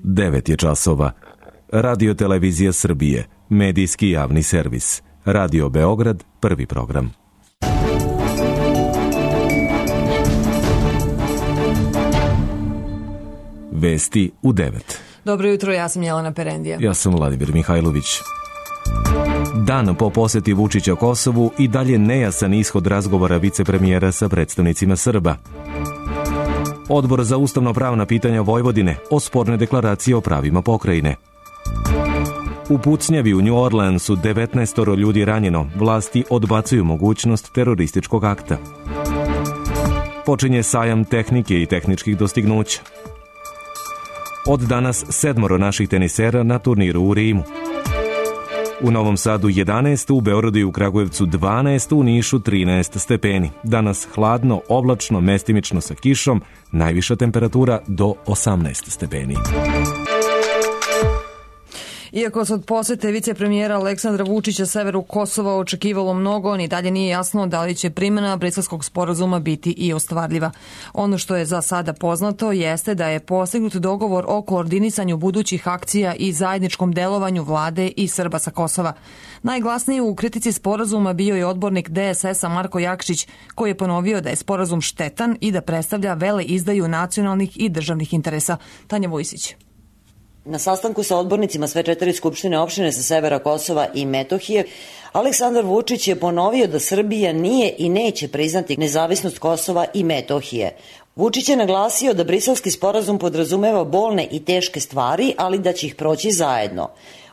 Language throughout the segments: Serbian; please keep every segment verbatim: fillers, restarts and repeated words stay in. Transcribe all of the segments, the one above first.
devet je časova. Radio Televizija Srbije, medijski javni servis. Radio Beograd, prvi program. Vesti u devet. Dobro jutro, ja sam Jelena Perendija. Ja sam Vladimir Mihajlović. Dan po poseti Vučića Kosovu i dalje nejasan ishod razgovora vicepremijera sa predstavnicima Srba. Odbor za ustavno-pravna pitanja Vojvodine o sporne deklaracije o pravima pokrajine. U pucnjavi u New Orleansu devetnaestoro ljudi ranjeno, vlasti odbacuju mogućnost terorističkog akta. Počinje sajam tehnike i tehničkih dostignuća. Od danas sedmoro naših tenisera na turniru u Rimu. U Novom Sadu jedanaest, u Beogradu i u Kragujevcu dvanaest, u Nišu trinaest stepeni. Danas hladno, oblačno, mestimično sa kišom, najviša temperatura do osamnaest stepeni. Iako se od posete vicepremijera Aleksandra Vučića severu Kosova očekivalo mnogo, ni dalje nije jasno da li će primjena Briselskog sporazuma biti i ostvarljiva. Ono što je za sada poznato jeste da je postignut dogovor o koordinisanju budućih akcija i zajedničkom delovanju vlade i Srba sa Kosova. Najglasniji u kritici sporazuma bio je odbornik D S S-a Marko Jakšić, koji je ponovio da je sporazum štetan i da predstavlja vele izdaju nacionalnih i državnih interesa. Tanja Vojsić. Na sastanku sa odbornicima sve četiri skupštine opštine sa severa Kosova i Metohije, Aleksandar Vučić je ponovio da Srbija nije i neće priznati nezavisnost Kosova i Metohije. Vučić je naglasio da Briselski sporazum podrazumeva bolne i teške stvari, ali da će ih proći zajedno.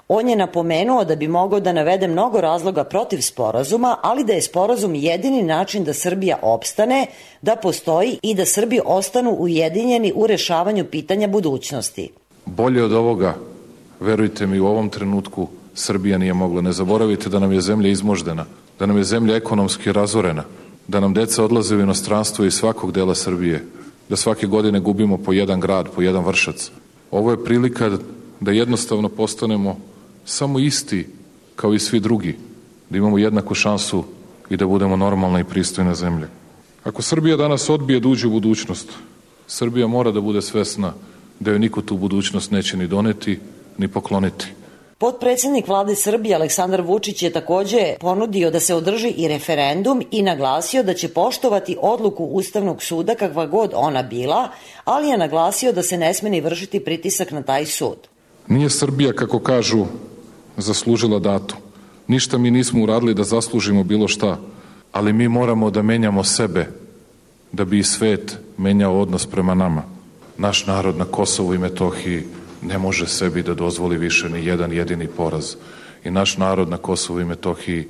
On je napomenuo da bi mogao da navede mnogo razloga protiv sporazuma, ali da je sporazum jedini način da Srbija opstane, da postoji i da Srbi ostanu ujedinjeni u rešavanju pitanja budućnosti. Bolje od ovoga, verujte mi, u ovom trenutku Srbija nije mogla. Ne zaboravite da nam je zemlja izmoždena, da nam je zemlja ekonomski razorena, da nam deca odlaze u inostranstvo iz svakog dela Srbije, da svake godine gubimo po jedan grad, po jedan Vršac. Ovo je prilika da jednostavno postanemo samo isti kao i svi drugi, da imamo jednaku šansu i da budemo normalna i pristojna zemlja. Ako Srbija danas odbije da uđe u budućnost, Srbija mora da bude svesna da joj niko tu budućnost neće ni doneti, ni pokloniti. Potpredsednik vlade Srbije Aleksandar Vučić je takođe ponudio da se održi i referendum i naglasio da će poštovati odluku Ustavnog suda kakva god ona bila, ali je naglasio da se ne sme ni vršiti pritisak na taj sud. Nije Srbija, kako kažu, zaslužila datu. Ništa mi nismo uradili da zaslužimo bilo šta, ali mi moramo da menjamo sebe, da bi i svet menjao odnos prema nama. Naš narod na Kosovu i Metohiji ne može sebi da dozvoli više ni jedan jedini poraz. I naš narod na Kosovu i Metohiji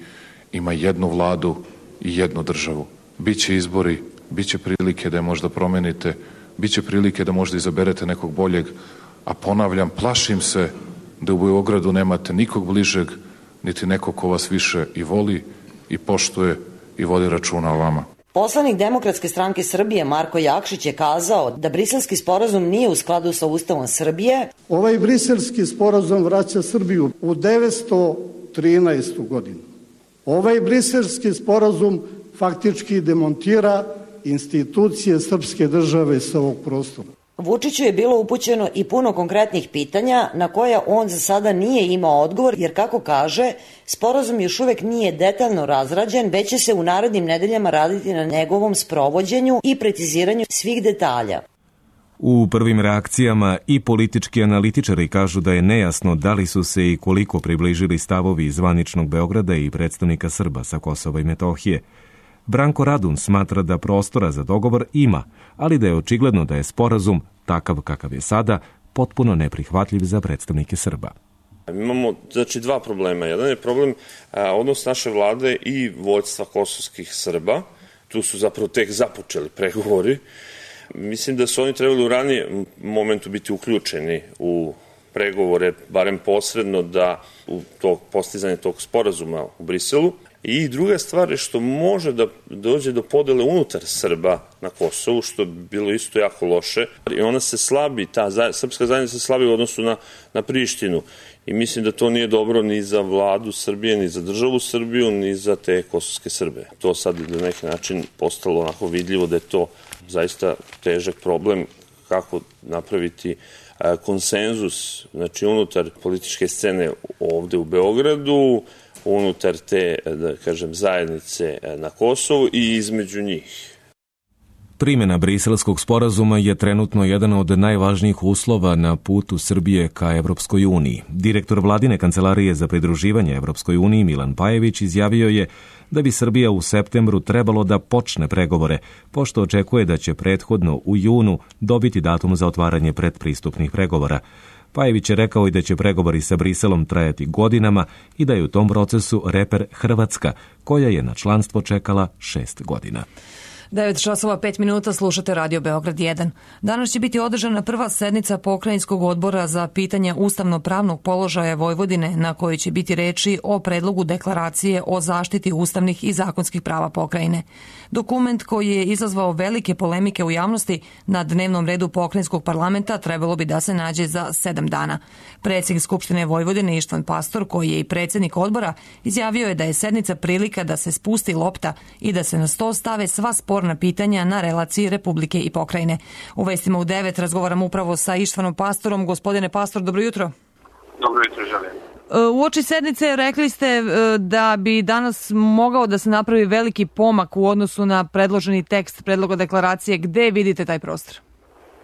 ima jednu vladu i jednu državu. Biće izbori, biće prilike da je možda promenite, biće prilike da možda izaberete nekog boljeg, a ponavljam, plašim se da u Beogradu nemate nikog bližeg, niti nekog ko vas više i voli i poštuje i vodi računa o vama. Poslanik Demokratske stranke Srbije Marko Jakšić je kazao da Briselski sporazum nije u skladu sa Ustavom Srbije. Ovaj Briselski sporazum vraća Srbiju u devetsto trinaestu godinu. Ovaj Briselski sporazum faktički demontira institucije srpske države sa ovog prostora. Vučiću je bilo upućeno i puno konkretnih pitanja na koja on za sada nije imao odgovor, jer kako kaže, sporazum još uvek nije detaljno razrađen, već će se u narednim nedeljama raditi na njegovom sprovođenju i preciziranju svih detalja. U prvim reakcijama i politički analitičari kažu da je nejasno da li su se i koliko približili stavovi zvaničnog Beograda i predstavnika Srba sa Kosova i Metohije. Branko Radun smatra da prostora za dogovor ima, ali da je očigledno da je sporazum, takav kakav je sada, potpuno neprihvatljiv za predstavnike Srba. Imamo znači dva problema. Jedan je problem a, odnos naše vlade i vođstva kosovskih Srba. Tu su zapravo tek započeli pregovori. Mislim da su oni trebali u ranijem momentu biti uključeni u pregovore, barem posredno, da u to postizanje tog sporazuma u Briselu. I druga stvar je što može da dođe do podele unutar Srba na Kosovu, što je bilo isto jako loše. I ona se slabi, ta srpska zajednica se slabi u odnosu na, na Prištinu. I mislim da to nije dobro ni za vladu Srbije, ni za državu Srbiju, ni za te kosovske Srbe. To sad na neki način postalo onako vidljivo da je to zaista težak problem kako napraviti konsenzus, znači unutar političke scene ovde u Beogradu, unutar te, da kažem, zajednice na Kosovu i između njih. Primjena Briselskog sporazuma je trenutno jedan od najvažnijih uslova na putu Srbije ka Evropskoj uniji. Direktor vladine kancelarije za pridruživanje Evropskoj uniji Milan Pajević izjavio je da bi Srbija u septembru trebalo da počne pregovore, pošto očekuje da će prethodno u junu dobiti datum za otvaranje predpristupnih pregovora. Pajević je rekao i da će pregovori sa Briselom trajati godinama i da je u tom procesu reper Hrvatska, koja je na članstvo čekala šest godina. devet časova pet minuta, slušate Radio Beograd jedan. Danas će biti održana prva sednica Pokrajinskog odbora za pitanja ustavno-pravnog položaja Vojvodine, na kojoj će biti reči o predlogu deklaracije o zaštiti ustavnih i zakonskih prava pokrajine. Dokument koji je izazvao velike polemike u javnosti na dnevnom redu Pokrajinskog parlamenta trebalo bi da se nađe za sedam dana. Predsjednik Skupštine Vojvodine Ištvan Pastor, koji je i predsjednik odbora, izjavio je da je sednica prilika da se spusti lopta i da se na sto stave sva sporna pitanja na relaciji Republike i pokrajine. U vestima u devet razgovaram upravo sa Ištvanom Pastorom. Gospodine Pastor, dobro jutro. Dobro jutro, želim. Uoči sednice rekli ste da bi danas mogao da se napravi veliki pomak u odnosu na predloženi tekst predloga deklaracije. Gde vidite taj prostor?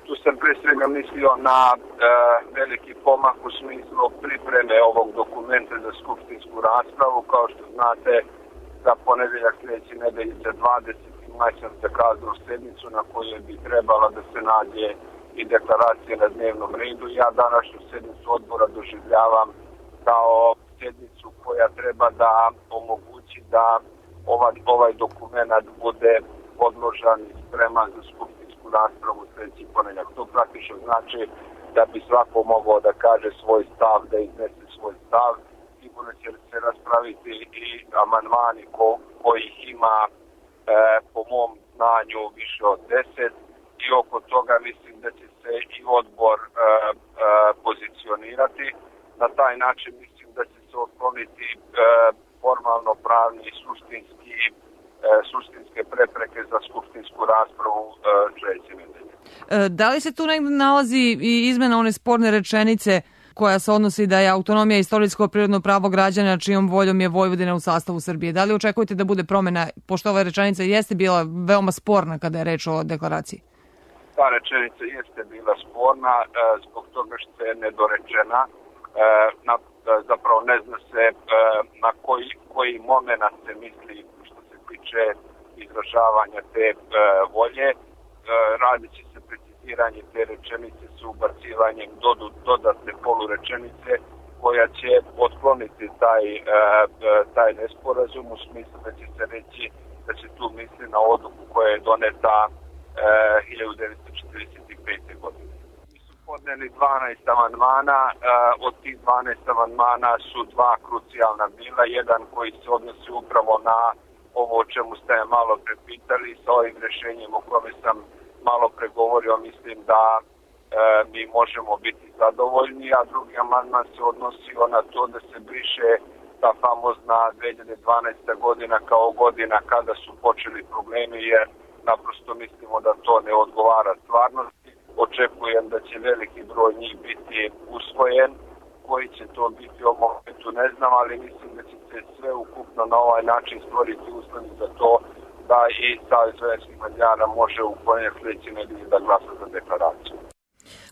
Tu sam pre svega mislio na e, veliki pomak u smislu pripreme ovog dokumenta za skupštinsku raspravu. Kao što znate, za ponedeljak sljedeće nedelje za dvadeset maj sam zakazao sednicu na kojoj bi trebala da se nađe i deklaracija na dnevnom redu. Ja današnju sednicu odbora doživljavam kao sednicu koja treba da omogući da ovaj, ovaj dokument bude odložan i spreman za skupštinsku raspravu sljedeći ponedeljak. To praktično znači da bi svako mogao da kaže svoj stav, da iznese svoj stav. Sigurno će se raspraviti i amandmani ko, kojih ima e, po mom znanju više od deset i oko toga mislim da će se i odbor e, e, pozicionirati. Na taj način mislim da će se otkloniti e, formalno pravni i suštinski, e, suštinske prepreke za skupštinsku raspravu e, sljedeće nedelje. E, da li se tu negdje nalazi i izmena one sporne rečenice koja se odnosi da je autonomija istorijsko prirodno pravo građana čijom voljom je Vojvodina u sastavu Srbije? Da li očekujete da bude promjena, pošto ova rečenica jeste bila veoma sporna kada je reč o deklaraciji? Ta rečenica jeste bila sporna e, zbog toga što je nedorečena. E, na, zapravo ne zna se e, na koji, koji moment se misli što se tiče izražavanja te e, volje. E, radit će se preciziranje te rečenice s ubacivanjem dodu, dodatne polurečenice koja će otkloniti taj, e, taj nesporazum u smislu da će se reći da se tu misli na odluku koja je doneta e, hiljadu devetsto četrdeset pete. godine. Podneli dvanaest amandmana, od tih dvanaest amandmana su dva krucijalna bila, jedan koji se odnosi upravo na ovo o čemu ste malo prepitali, sa ovim rešenjem o kome sam malo pregovorio, mislim da e, mi možemo biti zadovoljni, a drugi amandman se odnosio na to da se briše ta famozna dve hiljade dvanaesta. godina kao godina kada su počeli problemi, jer naprosto mislimo da to ne odgovara stvarnosti. Očekujem da će veliki broj njih biti usvojen, koji će to biti u momentu ne znam, ali mislim da će se sve ukupno na ovaj način stvoriti uslovi za to da i Savez vojvođanskih Mađara može u ponedjeljak sljedeće nedelje da glasa za deklaraciju.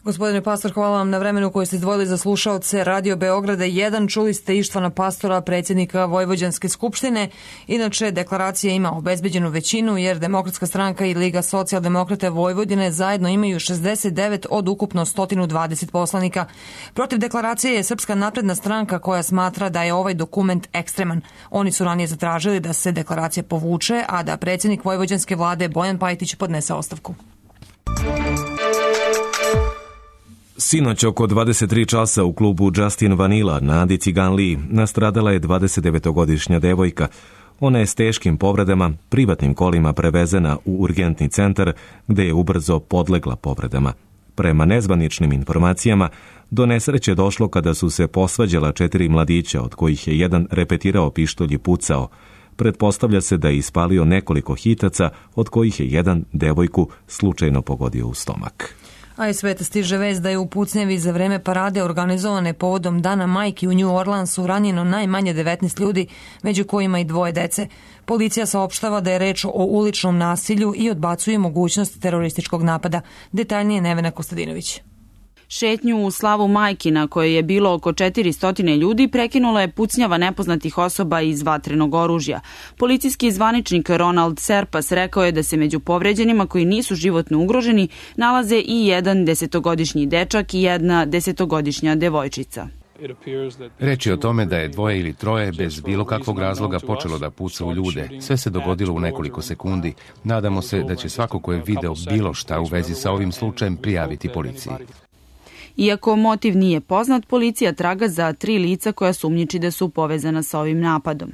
Gospodine Pastor, hvala vam na vremenu koje ste izdvojili za slušaoce Radio Beograda jedan. Čuli ste Ištvana Pastora, predsjednika Vojvođanske skupštine. Inače, deklaracija ima obezbeđenu većinu jer Demokratska stranka i Liga socijaldemokrata Vojvodine zajedno imaju šezdeset devet od ukupno sto dvadeset poslanika. Protiv deklaracije je Srpska napredna stranka koja smatra da je ovaj dokument ekstreman. Oni su ranije zatražili da se deklaracija povuče, a da predsjednik Vojvođanske vlade Bojan Pajtić podnese ostavku. Sinoć oko dvadeset tri časa u klubu Justin Vanilla na Adi Ciganliji nastradala je dvadesetdevetogodišnja devojka. Ona je s teškim povredama privatnim kolima prevezena u urgentni centar gde je ubrzo podlegla povredama. Prema nezvaničnim informacijama, do nesreće došlo kada su se posvađala četiri mladića, od kojih je jedan repetirao pištolj i pucao. Pretpostavlja se da je ispalio nekoliko hitaca, od kojih je jedan devojku slučajno pogodio u stomak. A iz sveta stiže vest da je u pucnjevi za vreme parade organizovane povodom Dana majki u New Orleansu ranjeno najmanje devetnaest ljudi, među kojima i dvoje dece. Policija saopštava da je reč o uličnom nasilju i odbacuje mogućnost terorističkog napada. Detaljnije Nevena Kostadinović. Šetnju u slavu majki na kojoj je bilo oko četiristo ljudi prekinula je pucnjava nepoznatih osoba iz vatrenog oružja. Policijski zvaničnik Ronald Serpas rekao je da se među povređenima koji nisu životno ugroženi nalaze i jedan desetogodišnji dečak i jedna desetogodišnja devojčica. Reč je o tome da je dvoje ili troje bez bilo kakvog razloga počelo da puca u ljude. Sve se dogodilo u nekoliko sekundi. Nadamo se da će svako ko je video bilo šta u vezi sa ovim slučajem prijaviti policiji. Iako motiv nije poznat, policija traga za tri lica koja sumnjiči da su povezana sa ovim napadom.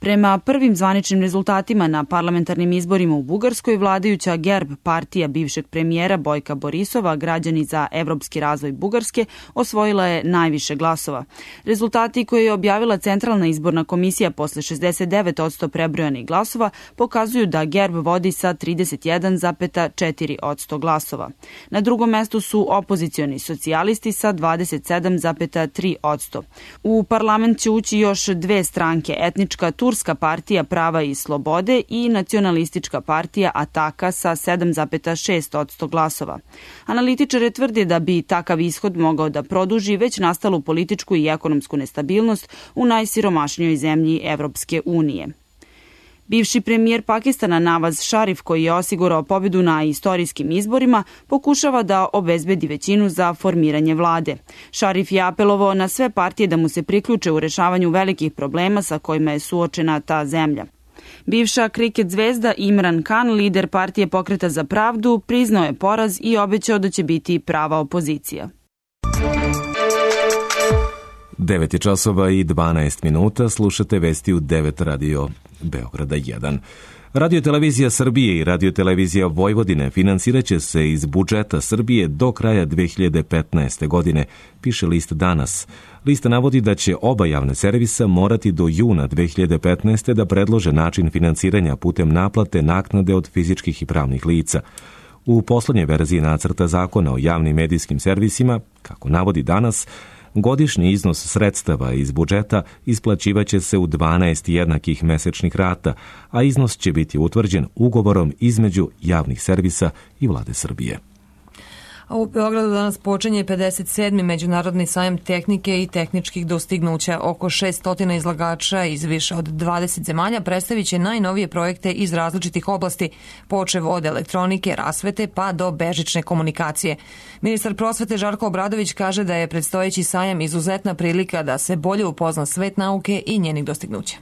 Prema prvim zvaničnim rezultatima na parlamentarnim izborima u Bugarskoj, vladajuća Gerb partija bivšeg premijera Bojka Borisova, Građani za evropski razvoj Bugarske, osvojila je najviše glasova. Rezultati koje je objavila Centralna izborna komisija posle šezdeset devet posto prebrojanih glasova pokazuju da Gerb vodi sa trideset jedan zarez četiri posto glasova. Na drugom mestu su opozicioni socijalisti sa dvadeset sedam zarez tri posto. U parlament će ući još dve stranke, etnička Turska partija prava i slobode i nacionalistička partija Ataka sa sedam zarez šest posto glasova. Analitičari tvrde da bi takav ishod mogao da produži već nastalu političku i ekonomsku nestabilnost u najsiromašnijoj zemlji Evropske unije. Bivši premijer Pakistana Nawaz Sharif, koji je osigurao pobedu na istorijskim izborima, pokušava da obezbedi većinu za formiranje vlade. Sharif je apelovao na sve partije da mu se priključe u rešavanju velikih problema sa kojima je suočena ta zemlja. Bivša kriket zvezda Imran Khan, lider partije Pokreta za pravdu, priznao je poraz i obećao da će biti prava opozicija. devet je časova i dvanaest minuta, slušate vesti u devet radio Beograda jedan. Radio-televizija Srbije i Radio-televizija Vojvodine finansiraće se iz budžeta Srbije do kraja dve hiljade petnaeste. godine, piše list Danas. Lista navodi da će oba javne servisa morati do juna dve hiljade petnaeste. da predlože način finansiranja putem naplate naknade od fizičkih i pravnih lica. U poslednjoj verziji nacrta zakona o javnim medijskim servisima, kako navodi Danas, godišnji iznos sredstava iz budžeta isplaćivaće se u dvanaest jednakih mesečnih rata, a iznos će biti utvrđen ugovorom između javnih servisa i Vlade Srbije. A u Beogradu danas počinje pedeset sedmi Međunarodni sajam tehnike i tehničkih dostignuća. Oko šesto izlagača iz više od dvadeset zemalja predstavit će najnovije projekte iz različitih oblasti, počev od elektronike, rasvete pa do bežične komunikacije. Ministar prosvete Žarko Obradović kaže da je predstojeći sajam izuzetna prilika da se bolje upozna svet nauke i njenih dostignuća.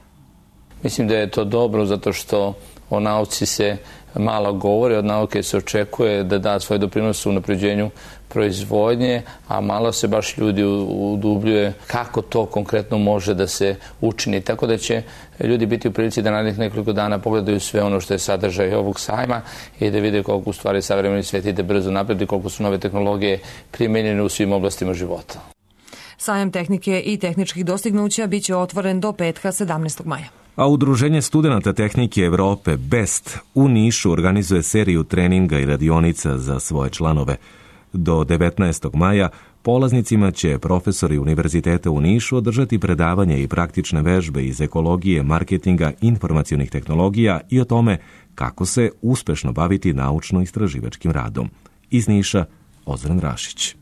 Mislim da je to dobro zato što o nauci se malo govori, od nauke se očekuje da da svoj doprinos u unapređenju proizvodnje, a malo se baš ljudi udubljuje kako to konkretno može da se učini. Tako da će ljudi biti u prilici da narednih nekoliko dana pogledaju sve ono što je sadržaj ovog sajma i da vide koliko u stvari savremeni svet ide brzo napred i koliko su nove tehnologije primenjene u svim oblastima života. Sajam tehnike i tehničkih dostignuća biće otvoren do petka sedamnaestog maja. A Udruženje studenata tehnike Evrope BEST u Nišu organizuje seriju treninga i radionica za svoje članove. Do devetnaestog maja polaznicima će profesori Univerziteta u Nišu održati predavanje i praktične vežbe iz ekologije, marketinga, informacionih tehnologija i o tome kako se uspešno baviti naučno-istraživačkim radom. Iz Niša, Ozren Rašić.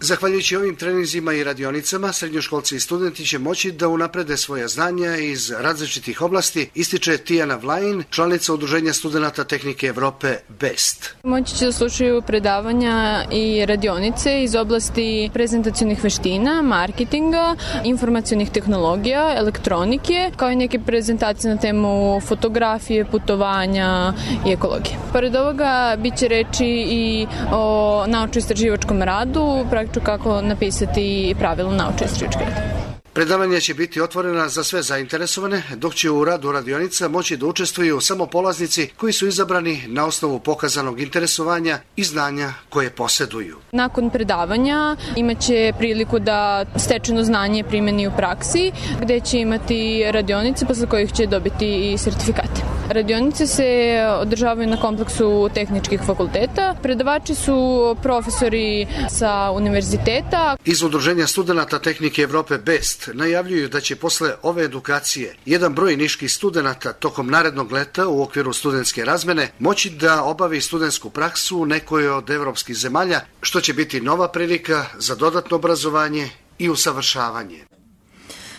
Zahvaljujući ovim treninzima i radionicama, srednjoškolci i studenti će moći da unaprede svoja znanja iz različitih oblasti, ističe Tijana Vlajin, članica Udruženja studenata tehnike Evrope BEST. Moći će da slušaju predavanja i radionice iz oblasti prezentacionih veština, marketinga, informacionih tehnologija, elektronike, kao i neke prezentacije na temu fotografije, putovanja i ekologije. Pored ovoga biće reči i o naučno-istraživačkom radu, praktično kako napisati pravilno naučno-istraživački rad. Predavanja će biti otvorena za sve zainteresovane, dok će u radu radionica moći da učestvuju samo polaznici koji su izabrani na osnovu pokazanog interesovanja i znanja koje poseduju. Nakon predavanja imaće priliku da stečeno znanje primeni u praksi, gde će imati radionice posle kojih će dobiti i sertifikate. Radionice se održavaju na kompleksu tehničkih fakulteta. Predavači su profesori sa univerziteta. Iz Udruženja studenata tehnike Evrope BEST najavljuju da će posle ove edukacije jedan broj niških studenata tokom narednog leta u okviru studentske razmene moći da obavi studentsku praksu u nekoj od evropskih zemalja, što će biti nova prilika za dodatno obrazovanje i usavršavanje.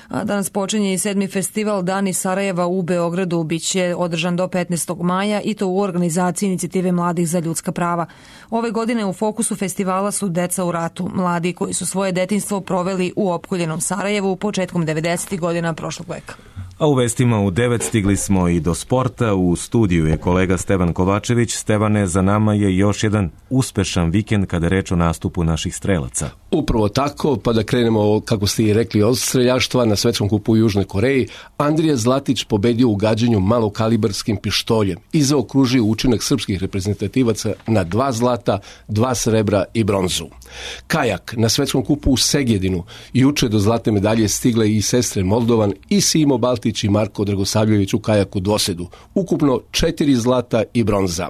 A danas počinje i sedmi festival Dani Sarajeva u Beogradu. Biće održan do petnaestog maja i to u organizaciji Inicijative mladih za ljudska prava. Ove godine u fokusu festivala su deca u ratu, mladi koji su svoje detinjstvo proveli u opkoljenom Sarajevu početkom devedesetih godina prošlog veka. A u vestima u devet stigli smo i do sporta. U studiju je kolega Stevan Kovačević. Stevane, za nama je još jedan uspešan vikend kada je reč o nastupu naših strelaca. Upravo tako, pa da krenemo, kako ste i rekli, od streljaštva na svetskom kupu u Južnoj Koreji. Andrija Zlatić pobedio u gađanju malokalibarskim pištoljem i zaokružio učinak srpskih reprezentativaca na dva zlata, dva srebra i bronzu. Kajak na svetskom kupu u Segedinu. Juče do zlatne medalje stigle i sestre Moldovan i Simo Baltić i Marko Dragosavljević u kajaku dvosedu. Ukupno četiri zlata i bronza.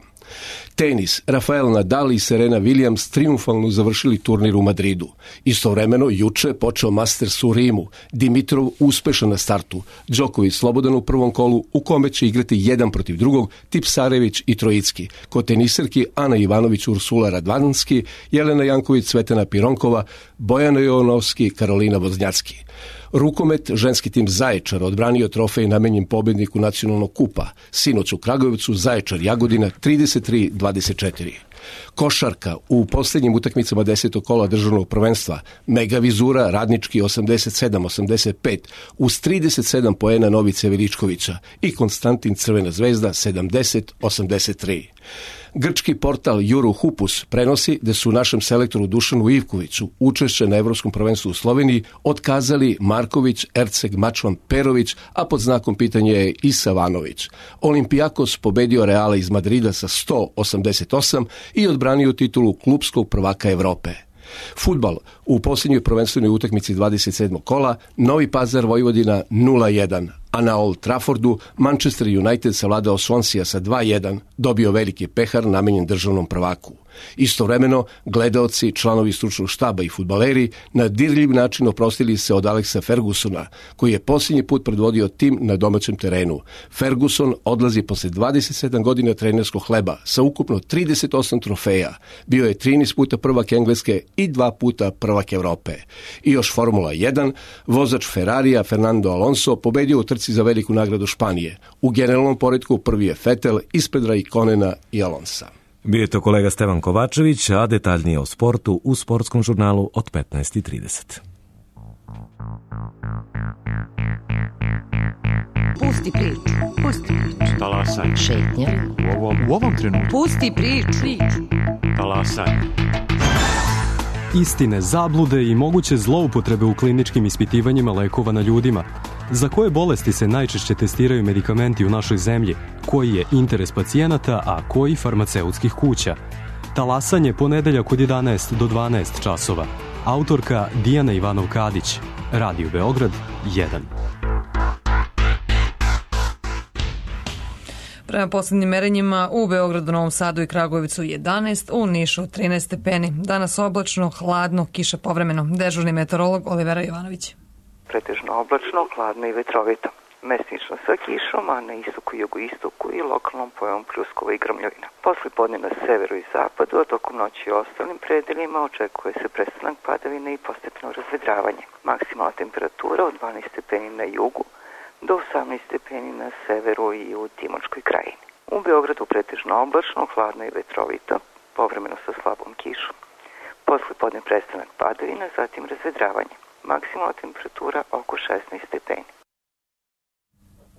Tenis. Rafael Nadal i Serena Williams triumfalno završili turnir u Madridu. Istovremeno, juče počeo Masters u Rimu. Dimitrov uspešan na startu. Đoković slobodan u prvom kolu, u kome će igrati jedan protiv drugog Tipsarević i Trojicki. Kod teniserki Ana Ivanović, Ursula Radvanski, Jelena Janković, Cvetana Pironkova, Bojana Jovanovski, Karolina Voznjacki. Rukomet, ženski tim Zaječar odbranio trofej namenjen pobedniku nacionalnog kupa. Sinoć u Kragujevcu Zaječar Jagodina trideset tri dvadeset četiri. Košarka u posljednjim utakmicama desetog kola državnog prvenstva. Mega Vizura Radnički osamdeset sedam osamdeset pet uz trideset sedam poena Novice Veličkovića i Konstantin Crvena zvezda sedamdeset osamdeset tri. Grčki portal Eurohupus prenosi da su našem selektoru Dušanu Ivkoviću učešće na Evropskom prvenstvu u Sloveniji otkazali Marković, Erceg, Mačvan, Perović, a pod znakom pitanja je i Savanović. Olimpijakos pobedio Reala iz Madrida sa sto osamdeset osam i odbranio titulu klupskog prvaka Evrope. Fudbal u posljednjoj prvenstvenoj utakmici dvadeset sedmog kola Novi Pazar Vojvodina nula jedan, a na Old Traffordu Manchester United savladao Swansea sa dva jedan, dobio veliki pehar namenjen državnom prvaku. Istovremeno, gledaoci, članovi stručnog štaba i fudbaleri na dirljiv način oprostili se od Alexa Fergusona, koji je posljednji put predvodio tim na domaćem terenu. Ferguson odlazi posle dvadeset sedam godina trenerskog hleba sa ukupno trideset osam trofeja. Bio je trinaest puta prvak Engleske i dva puta prvak Evrope. I još Formula jedan, vozač Ferrarija Fernando Alonso pobedio u trci za veliku nagradu Španije. U generalnom poretku prvi je Vettel ispred Raikkonena i Alonsa. Bio je to kolega Stevan Kovačević, a detaljnije o sportu u sportskom žurnalu od petnaest i trideset. Pusti priču, pusti priču. Talasaj. Šetnja. U ovom, u ovom trenutku. Pusti priču. Talasaj. Istine, zablude i moguće zloupotrebe u kliničkim ispitivanjima lekova na ljudima. Za koje bolesti se najčešće testiraju medikamenti u našoj zemlji? Koji je interes pacijenata, a koji farmaceutskih kuća? Talasanje ponedeljak od jedanaest do dvanaest časova. Autorka Dijana Ivanov-Kadić. Radio Beograd jedan. Prema poslednjim merenjima u Beogradu, Novom Sadu i Kragujevcu jedanaest, u Nišu trinaest stepeni. Danas oblačno, hladno, kiša povremeno. Dežurni meteorolog Olivera Jovanović. Pretežno oblačno, hladno i vetrovito. Mesnično sa kišom, a na istoku, jugoistoku i lokalnom pojavom pljuskova i grmljovina. Posle podne na severu i zapadu, a tokom noći i ostalim predelima očekuje se prestanak padavina i postepeno razvedravanje. Maksimalna temperatura od dvanaest stepeni na jugu do osamnaest stepeni na severu i u Timočkoj krajini. U Beogradu pretežno oblačno, hladno i vetrovito, povremeno sa slabom kišom. Posle podne prestanak padavina, zatim razvedravanje. Maksimalna temperatura oko šesnaest stepeni.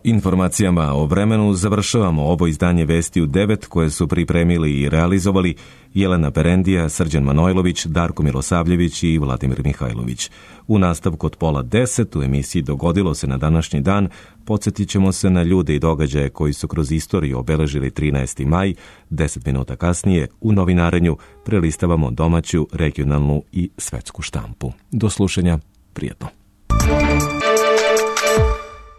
Informacijama o vremenu završavamo ovo izdanje Vesti u devet koje su pripremili i realizovali Jelena Perendija, Srđan Manojlović, Darko Milosavljević i Vladimir Mihajlović. U nastavku od pola deset u emisiji Dogodilo se na današnji dan podsjetit ćemo se na ljude i događaje koji su kroz istoriju obeležili trinaesti maj. Deset minuta kasnije u novinarenju prelistavamo domaću, regionalnu i svetsku štampu. Do slušanja, prijetno.